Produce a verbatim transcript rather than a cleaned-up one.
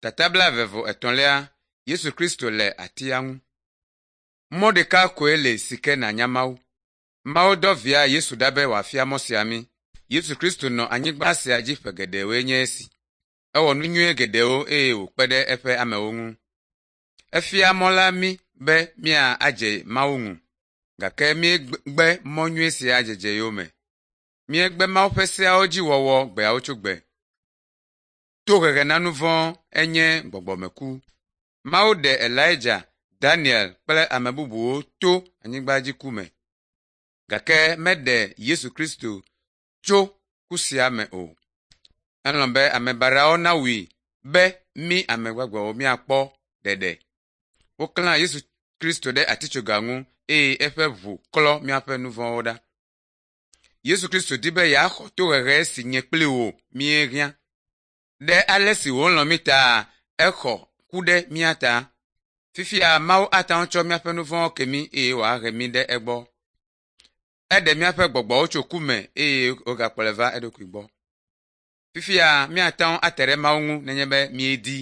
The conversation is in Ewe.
Tata blaeve vɔ etɔ̃lia Yesu Kristo le atia ŋu. Mɔ ɖeka koe le si ke nànya Mawu. Mawu dɔ via Yesu ɖa be wòafia mɔ sia mí. Yesu Kristo nɔ anyigba sia dzi ƒe geɖewoe nye esi. Ewɔ nu nyui geɖewo eye wòkpe ɖe eƒe amewo ŋu. Efia mɔ la mí be míadze Mawu ŋu gake míegbe mɔ nyui sia dzedze yome. Míegbe Mawu ƒe seawo dzi wɔwɔ gbeawo tso gbe. Tohehe na nu vɔ̃ enye gbɔgbɔmeku. Mawu ɖe Elija, Daniel kple ame bubuwo to anyigbadziku me gake meɖe Yesu Kristo tso ku sia me o. Elɔ̃ be ame baɖawo nawui be mí ame gbagbewo míakpɔ ɖeɖe. Woklã Yesu Kristo ɖe atitsoga ŋu eye eƒe ʋu klɔ míaƒe nu vɔ̃wo ɖa. Yesu Kristo di be yeaxɔ tohehe si nye kpli wò míehiã. Ɖe ale si wòlɔ̃ mí ta exɔ ku ɖe mía ta. Fifia Mawu ate ŋu atsɔ míaƒe nu vɔ̃wo ke mí eye wòahe mí ɖe egbɔ. Eɖe míaƒe gbɔgbɔwo tso ku me eye wògakplɔe va eɖokui gbɔ. Fifia míate ŋu ate ɖe Mawu ŋu nenye be míedi.